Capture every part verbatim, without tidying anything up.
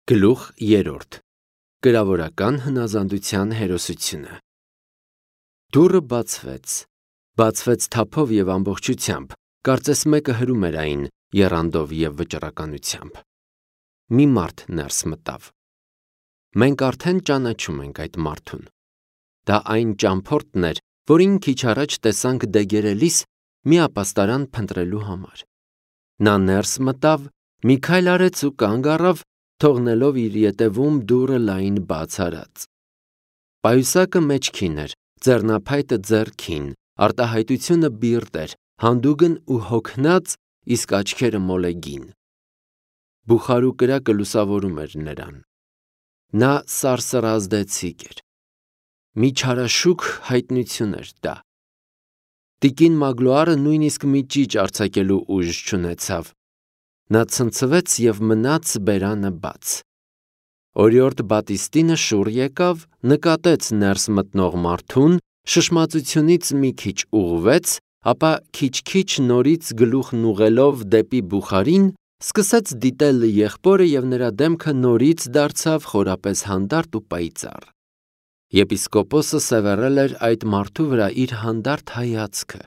Գլուխ երրորդ. Կրավորական հնազանդության հերոսությունը։ Դուռը բացվեց, բացվեց թափով և ամբողջությամբ, կարծես մեկը հրում էր այն եռանդով և վճռականությամբ։ Մի մարդ ներս մտավ։ Մենք արդեն ճանաչում ենք այդ մարդուն։ Դա այն ճամփորդն էր, որին քիչ առաջ տեսանք դեգերելիս մի ապաստարան փնտրելու համար։ Նա ներս մտավ, մի քայլ արեց ու կանգ առավ, թողնելով իր ետևում դուռը լայն բաց արած։ Պայուսակը մեջքին էր, ձեռնափայտը ձեռքին, արտահայտությունը բիրտ էր, հանդուգն ու հոգնած, իսկ աչքերը մոլեգին։ Բուխարու կրակը լուսավորում էր նրան։ Նա սարսռազդեցիկ էր։ Մի չարաշուք հայտնություն էր դա։ Տիկին Մագլուարը նույնիսկ մի ճիչ արձակելու ուժ չունեցավ։ Նա ցնցվեց և մնաց բերանը բաց։ Օրիորդ Բատիստինը շուռ եկավ, նկատեց ներս մտնող մարդուն, շշմածությունից մի քիչ ուղղվեց, ապա քիչ-քիչ նորից գլուխն ուղղելով դեպի Բուխարին, սկսեց դիտել եղբորը և նրա դեմքը նորից դարձավ խորապես հանդարտ ու պայծառ։ Եպիսկոպոսը սևեռել էր այդ մարդու վրա իր հանդարտ հայացքը։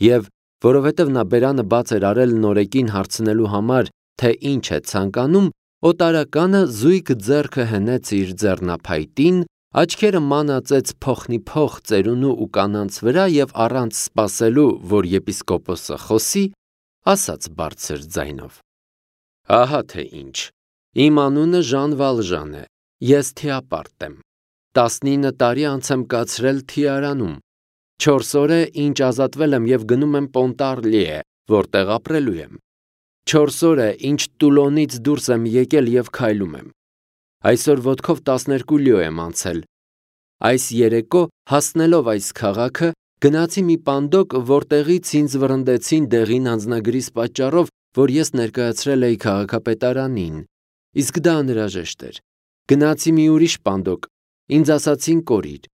Եվ որովհետև նա բերանը բաց էր արել նորեկին հարցնելու համար, թե ինչ է ցանկանում, օտարականը զույգ ձեռքը հենեց իր ձեռնափայտին, աչքերը մանածեց փոխնիփոխ ծերունու ու կանանց վրա և առանց սպասելու, որ եպիսկոպոսը խոսի, ասաց բարձր ձայնով. «Ահա թե ինչ, իմ անունը Ժան Վալժան է, ես թիապարտ եմ, տասնինը տարի անց եմ կացրել Թիարանում, չորս օր է, ինչ ազատվել եմ և գնում եմ Պոնտարլիե, որտեղ ապրելու եմ, չորս օր է, ինչ Տուլոնից դուրս եմ եկել և քայլում եմ, այսօր ոտքով տասներկու լյո եմ անցել, այս երեկո հասնելով այս քաղաքը, գնացի մի պանդոկ, որտեղից ինձ վռնդեցին դեղին անձնագրիս պատճառով, որ ես ներկայացրել էի քաղաքապետարանին, իսկ դա անհրաժեշտ էր, գնացի մի ուրիշ պանդոկ, ինձ ասացին կորիր,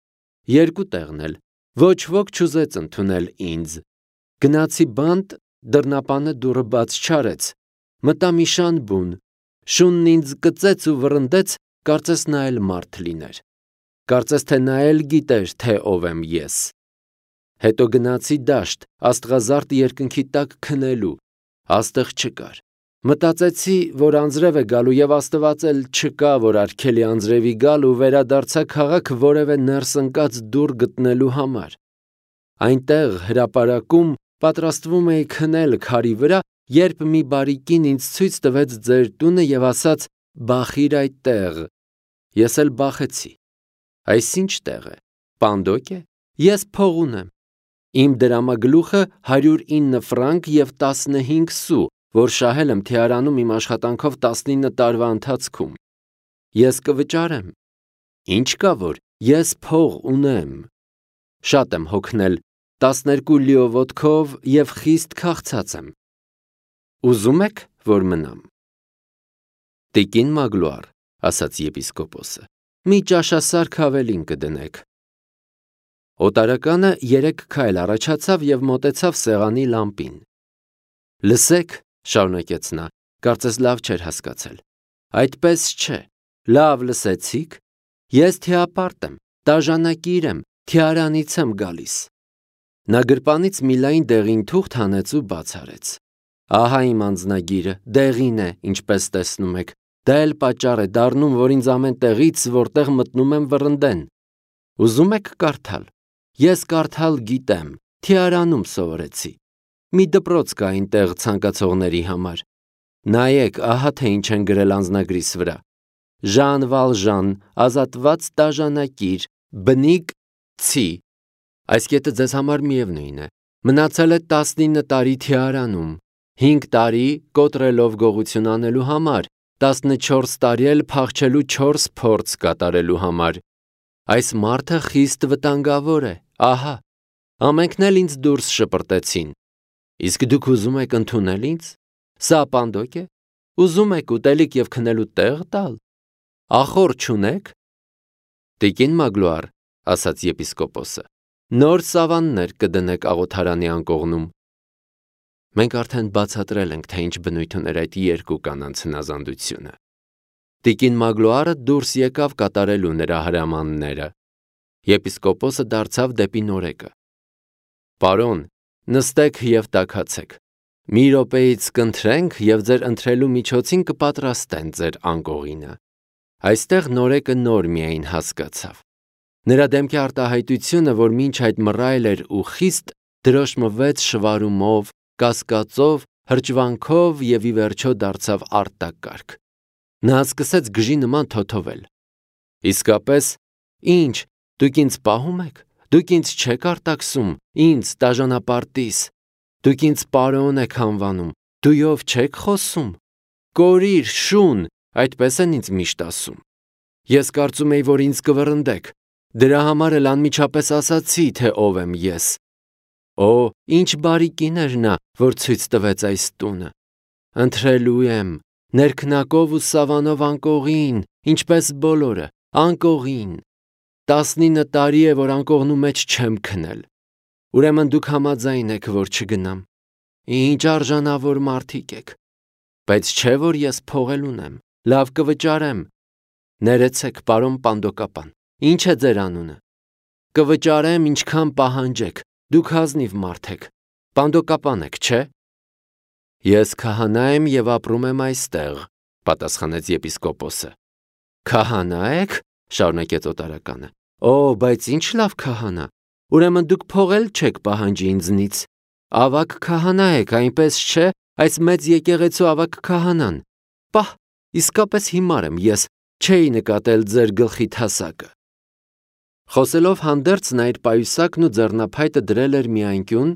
երկու տեղն էլ, ոչ ոք չուզեց ընդունել ինձ, գնացի բանտ, դռնապանը դուռը բաց չարեց, մտա մի շան բուն, շունն ինձ կծեց ու վռնդեց, կարծես նա էլ մարդ լիներ, կարծես թե նա էլ գիտեր, թե ով եմ ես, հետո գնացի դաշտ, աստղազարդ երկնքի տակ քնելու, աստղ չկար, մտածեցի, որ անձրև է գալու և Աստված էլ չկա, որ արգելի անձրևի գալ ու վերադարձա քաղաք որևէ ներս ընկած դուռ գտնելու համար, այնտեղ հրապարակում պատրաստվում էի քնել քարի վրա, երբ մի բարի կին ինձ ցույց տվեց ձեր տունը և ասաց. «Բախիր այդտեղ», ես էլ բախեցի, այս ի՞նչ տեղ է, պանդոկ է, ես փող ունեմ, իմ դրամագլուխը հարյուր ինը ֆրանկ և տասնհինգ սու, որ շահել եմ Թիարանում իմ աշխատանքով տասնինը տարվա ընթացքում, ես կվճարեմ, ինչ կա որ, ես փող ունեմ, շատ եմ հոգնել, տասներկու լյո ոտքով և խիստ քաղցած եմ, ուզում եք, որ մնամ։ Տիկին Մագլուար, ասաց եպիսկոպոսը, մի ճաշասարք ավելին կդնեք։ Օտարականը երեք քայլ առաջացավ և մոտեցավ սեղանի լամպին։ Լսեք, շարունակեց նա, կարծես լավ չէր հասկացել, այդպես չէ, լավ լսեցիք, ես թիապարտ եմ, տաժանակիր եմ, Թիարանից եմ գալիս։ Նա գրպանից մի լայն դեղին թուղթ հանեց ու բաց արեց։ Ահա իմ անձնագիրը, դեղին է, ինչպես տեսնում եք, դա էլ պատճառ է դառնում, որ ինձ ամեն տեղից, որտեղ մտնում եմ, վռնդեն։ Ուզում եք կարդալ։ Ես կարդալ գիտեմ, Թիարանում սովորեցի։ Մի դպրոց կա այնտեղ ցանկացողների համար։ Նայեք, ահա թե ինչ են գրել անձնագրիս վրա։ Ժան Վալժան, ազատված տաժանակիր, բնիկ ցի։ Այս կետը ձեզ համար միևնույն է։ Մնացել է տասնինը տարի Թիարանում, հինգ տարի կոտրելով գողություն անելու համար, տասնչորս տարի էլ փախչելու չորս փորձ կատարելու համար։ Այս մարդը խիստ վտանգավոր է, ահա, ամենքն էլ ինձ դուրս շպրտեցին։ Իսկ դուք ուզում եք ընդունել ինձ։ Սա պանդոկ է։ Ուզում եք ուտելիք և քնելու տեղ տալ։ Ախոռ չունեք։ Տիկին Մագլուար, ասաց եպիսկոպոսը, նոր սավաններ կդնեք աղոթարանի անկողնում։ Մենք արդեն բացատրել ենք, թե ինչ բնույթ ուներ այդ երկու կանանց հնազանդությունը։ Տիկին Մագլոարը դուրս եկավ կատարելու նրա հրամանները։ Եպիսկոպոսը դարձավ դեպի Նորեկը. Պարոն, նստեք և տաքացեք։ Մի րոպեից կընթրենք և ձեր ընթրելու միջոցին կպատրաստեն ձեր անկողինը։ Այստեղ Նորեկը նոր միայն հասկացավ։ Նրա դեմքի արտահայտությունը, որ մինչ այդ մռայլ էր ու խիստ, դրոշմվեց շվարումով, կասկածով, հրճվանքով և ի վերջո դարձավ արտակարգ։ Նա սկսեց գժի նման թոթովել։ Իսկապես, ի՞նչ, դուք ինձ պահում եք, դուք ինձ չեք արտաքսում, ինձ տաժանապարտիս, դուք ինձ պարոն եք անվանում, դույով չեք խոսում, կորիր, շուն, այդպես են ինձ միշտ ասում։ Ես կարծում էի, որ ինձ կվռնդեք, դրա համար էլ անմիջապես ասացի, թե ով եմ ես։ Օ, ինչ բարի կին էր նա, որ ցույց տվեց այս տունը։ Ընթրելու եմ, ներքնակով ու սավանով անկողին, ինչպես բոլորը, անկողին։ Տասնինը տարի է, որ անկողնու մեջ չեմ քնել։ Ուրեմն դուք համաձայն եք, որ չգնամ։ Ինչ արժանավոր մարդիկ եք։ Բայց չէ, որ ես փողել ունեմ, լավ կվճարեմ։ Ներեցեք, պարոն Պանդոկապան, ինչ է ձեր անունը։ Կվճարեմ, ինչքան պահանջեք, դուք ազնիվ մարդ եք, Պանդոկապան եք, չէ։ Ես քահանա եմ և ապրում եմ այստեղ, պատասխանեց եպիսկոպոսը։ Քահանա եք, շարունակեց օտարականը։ Օ, բայց ինչ լավ քահանա։ Ուրեմն դուք փողել չեք պահանջի ինձնից։ Ավագ քահանա եք, այնպես չէ, այս մեծ եկեղեցու ավագ քահանան։ Պահ, իսկապես հիմար եմ ես, չէի նկատել ձեր գլխի թասակը։ Խոսելով հանդերձ նա իր պայուսակն ու ձեռնափայտը դրել էր մի անկյուն,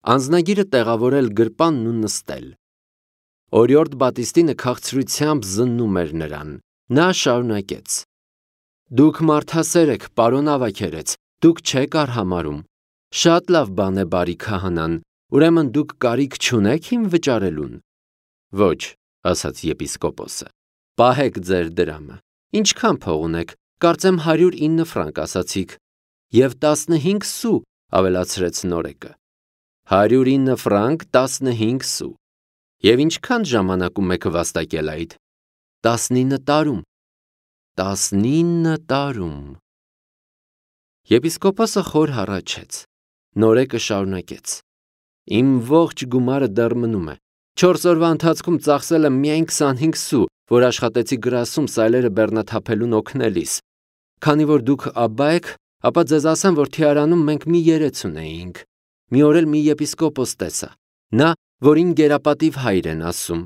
անձնագիրը տեղավորել գրպանն ու նստել։ Օրիորդ Բատիստինը քաղցրությամբ զննում էր նրան։ Նա շարունակեց. Դուք մարդասեր եք, պարոն ավագերեց, դուք չեք արհամարհում։ Շատ լավ բան է բարի քահանան, ուրեմն դուք կարիք չունեք իմ վճարելուն։ Ոչ, ասաց եպիսկոպոսը։ Պահեք ձեր դրամը։ Ինչքան փող ունեք, կարծեմ հարյուր ինը ֆրանկ ասացիք։ Եվ տասնհինգ սու, ավելացրեց Նորեկը։ Հարյուր ինը ֆրանկ, տասնհինգ սու։ Եվ ինչքան ժամանակում եք վաստակել այդ։ Տասնինը տարում։ Տասնինը տարում։ Եպիսկոպոսը խոր հառաչեց։ Նորեկը շարունակեց. Իմ ողջ գումարը դեռ մնում է։ Չորս օրվա ընթացքում ծախսել եմ միայն քսանհինգ սու, որ աշխատեցի գրասում սայլերը բեռնաթափելուն օգնելիս։ Քանի որ դուք աբբա եք, ապա ձեզ ասեմ, որ Թիարանում մենք մի երեց ունեինք։ Մի օր էլ մի եպիսկոպոս տեսա։ Նա, որին գերապատիվ հայր են ասում։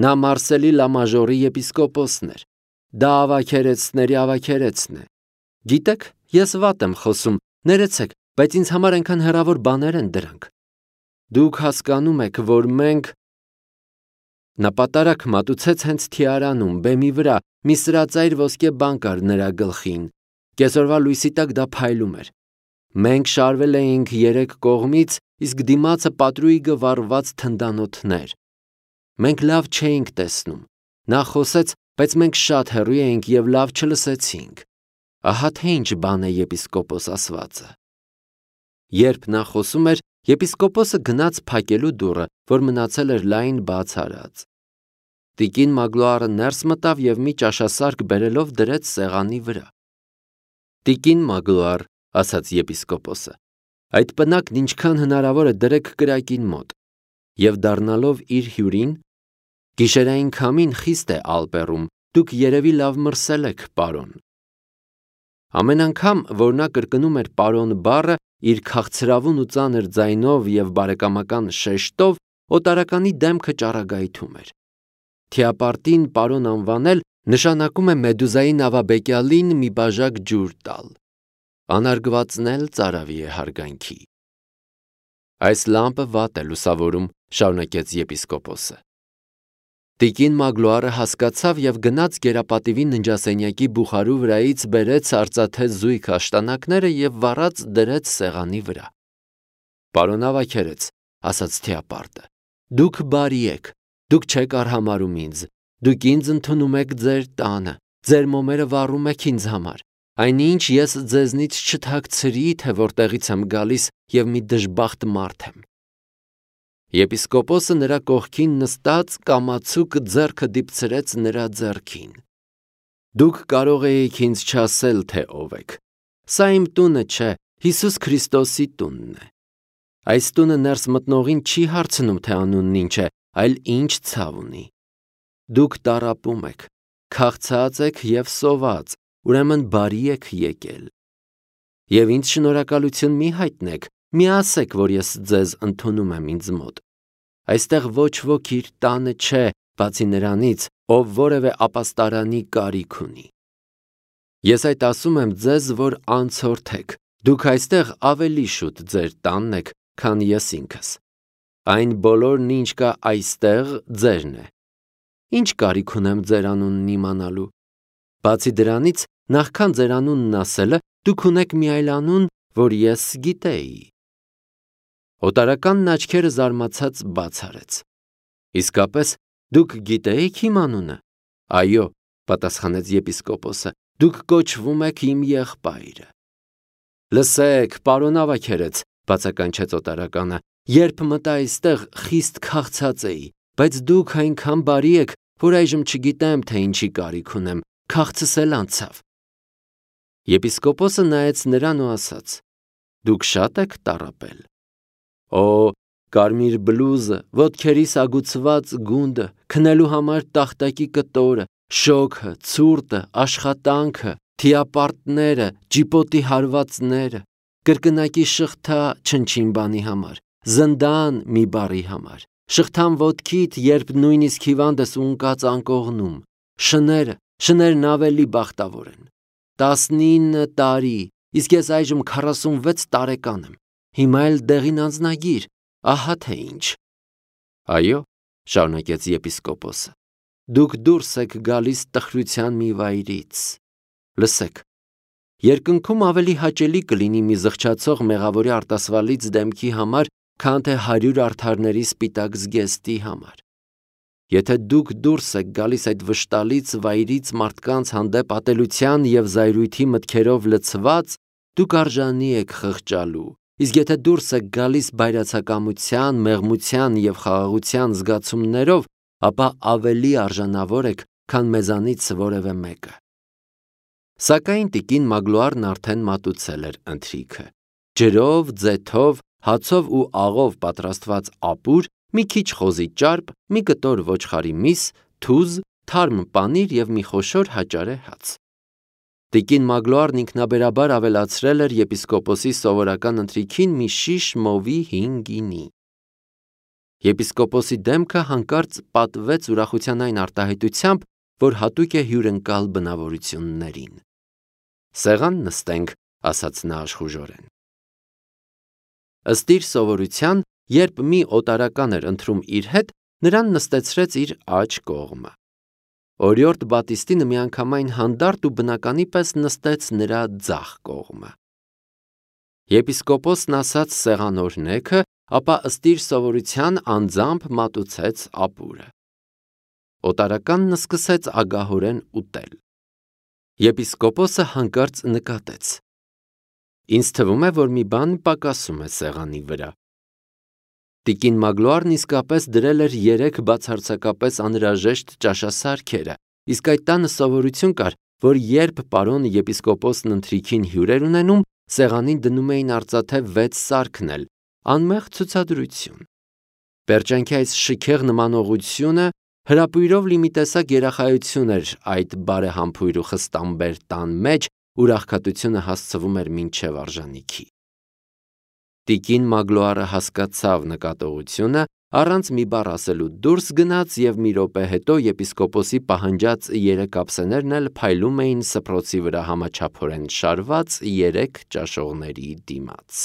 Նա Մարսելի Լամաժորի եպիսկոպոսն էր։ Դա ավագերեցների ավագերեցն է։ Գիտեք, ես վատ եմ խոսում, ներեցեք, բայց ինձ համար այնքան հեռավոր բաներ են դրանք։ Դուք հասկանում եք, որ մենք… Նա պատարակ մատուցեց հենց Թիարանում, բեմի վրա, մի սրածայր ոսկե բան կար նրա գլխին։ Կեսօրվա լույսի տակ դա փայլում էր։ Մենք շարվել էինք երեք կողմից, իսկ դիմացը պատրույգը վառված թնդանոթներ։ Մենք լավ չէինք տեսնում։ Նա խոսեց, բայց մենք շատ հեռու էինք և լավ չլսեցինք։ Ահա թե ինչ բան է եպիսկոպոս ասվածը։ Երբ նա խոսում էր, եպիսկոպոսը գնաց փակելու դուռը, որ մնացել էր լայն բաց արած։ Տիկին Մագլոարը ներս մտավ և մի ճաշասարք բերելով դրեց սեղանի վրա։ Տիկին Մագլոար, ասաց եպիսկոպոսը, այդ պնակն ինչքան հնարավոր է դրեք կրակին մոտ։ Եվ դառնալով իր հյուրին, գիշերային քամին խիստ է ալպերում, դուք երևի լավ մրսել եք, պարոն։ Ամեն անգամ, որ նա կրկնում էր պարոն բառը իր քաղցրավուն ու ծանր ձայնով և բարեկամական շեշտով, օտարականի դեմքը ճառագայթում էր։ Թիապարտին պարոն անվանել նշանակում է Մեդուզայի նավաբեկյալին մի բաժակ ջուր տալ։ Անարգվածն էլ ծարավի է հարգանքի։ Այս լամպը վատ է լուսավորում, շարունակեց եպիսկոպոսը։ Տիկին Մագլոարը հասկացավ և գնաց գերապատիվի ննջասենյակի բուխարու վրայից բերեց արծաթե զույգ աշտանակները և վառած դրեց սեղանի վրա։ Պարոն ավագերեց, ասաց Թիապարտը, դուք բարի եք, դուք չեք արհամարհում ինձ, դուք ինձ ընդունում եք ձեր տանը, ձեր մոմերը վառում եք ինձ համար, այնինչ ես ձեզնից չթաքցրի, թե որտեղից եմ գալիս և մի դժբախտ մարդ եմ։ Եպիսկոպոսը նրա կողքին նստած կամացուկ ձեռքը դիպցրեց նրա ձեռքին։ Դուք կարող էիք ինձ չասել, թե ով եք։ Սա իմ տունը չէ, Հիսուս Քրիստոսի տունն է։ Այս տունը ներս մտնողին չի հարցնում, թե անունն ինչ է, այլ ինչ ցավ ունի։ Դուք տառապում եք, քաղցած եք և սոված, ուրեմն բարի եք եկել։ Եվ ինձ շնորհակալություն մի հայտնեք, մի ասեք, որ ես ձեզ ընդունում եմ ինձ մոտ։ Այստեղ ոչ ոք իր տանը չէ, բացի նրանից, ով որևէ ապաստարանի կարիք ունի։ Ես այդ ասում եմ ձեզ, որ անցորդեք, դուք այստեղ ավելի շուտ ձեր տանն եք, քան ես ինքս։ Այն բոլորն, ինչ կա այստեղ, ձերն է։ Ինչ կարիք ունեմ ձեր անունն իմանալու։ Բացի դրանից, նախքան ձեր անունն ասելը, դուք ունեք մի այլ անուն, որ ես գիտեի։ Օտարականն աչքերը զարմացած բաց արեց։ Իսկապես, դուք գիտեիք իմ անունը։ Այո, պատասխանեց եպիսկոպոսը, դուք կոչվում եք իմ եղբայրը։ Լսեք, պարոն ավագերեց, բացականչեց օտարականը, երբ մտա այստեղ խիստ քաղցած էի, բայց դուք այնքան բարի եք, որ այժմ չգիտեմ, թե ինչի կարիք ունեմ, քաղցս էլ անցավ։ Եպիսկոպոսը նայեց նրան ու ասաց. Դուք շատ եք տառապել։ Օ, կարմիր բլուզը, ոտքերիս ագուցված գունդը, քնելու համար տախտակի կտորը, շոգը, ցուրտը, աշխատանքը, թիապարտները, ջիպոտի հարվածները, կրկնակի շղթա չնչին բանի համար, զնդան մի բառի համար, շղթան ոտքիդ, երբ նույնիսկ հիվանդս ունկած անկողնում, շները, շներն ավելի բախտավոր են։ տասնինը տարի, իսկ ես այժմ քառասունվեց տարեկան եմ, հիմա էլ դեղին անձնագիր, ահա թե ինչ։ Այո, շարունակեց եպիսկոպոսը, դուք դուրս եք գալիս տխրության մի վայրից։ Լսեք, երկնքում ավելի հաճելի կլինի մի զղջացող մեղավորի արտասվալից դեմքի համար, քան թե հարյուր արդարների սպիտակ զգեստի համար։ Եթե դուք դուրս եք գալիս այդ վշտալից վայրից մարդկանց հանդեպ ատելության և զայրույթի մտքերով լցված, դուք արժանի եք խղճալու, իսկ եթե դուրս եք գալիս բայրացակամության, մեղմության և խաղաղության զգացումներով, ապա ավելի արժանավոր եք, քան մեզանից որևէ մեկը։ Սակայն տիկին Մագլուարն արդեն մատուցել էր ընթրիքը։ Ջրով, ձեթով, հացով ու աղով պատրաստված ապուր, մի քիչ խոզի ճարպ, մի կտոր ոչխարի միս, թուզ, թարմ պանիր և մի խոշոր հաճարե հաց։ Տիկին Մագլուարն ինքնաբերաբար ավելացրել էր եպիսկոպոսի սովորական ընթրիքին մի շիշ մովի հին գինի։ Եպիսկոպոսի դեմքը հանկարծ պատվեց ուրախության այն արտահայտությամբ, որ հատուկ է հյուրընկալ բնավորություններին։ Սեղան նստենք, ասաց նա աշխուժորեն։ Ըստ իր սովորության, երբ մի օտարական էր ընթրում իր հետ, նրան նստեցրեց իր աջ կողմը։ Օրիորդ Բատիստինը միանգամայն հանդարտ ու բնականի պես նստեց նրա ձախ կողմը։ Եպիսկոպոսն ասաց սեղան օրհնեքը, ապա ըստ իր սովորության անձամբ մատուցեց ապուրը։ Օտարականն սկսեց ագահորեն ուտել։ Եպիսկոպոսը հանկարծ նկատեց. Ինձ թվում է, որ մի բան պակասում է սեղանի վրա։ Տիկին Մագլուարն իսկապես դրել էր երեք բացարձակապես անհրաժեշտ ճաշասարքերը, իսկ այդ տանը սովորություն կար, որ երբ պարոն եպիսկոպոսն ընթրիքին հյուր էր ունենում, սեղանին դնում էին արծաթե վեց սարքնել, անմեղ ցուցադրություն։ Պերճանքի այս շքեղ նմանողությունը հրապույրով լի մի տեսակ երախայություն էր այդ բարեհամբույր ու խստամբեր տան մեջ, ուր աղքատությունը հասցվում էր մինչև արժանիքի։ Տիկին Մագլուարը հասկացավ նկատողությունը, առանց մի բառ ասելու դուրս գնաց և մի րոպե հետո եպիսկոպոսի պահանջած երեք ափսեներն էլ փայլում էին սփռոցի վրա համաչափորեն շարված երեք ճաշողների դիմաց։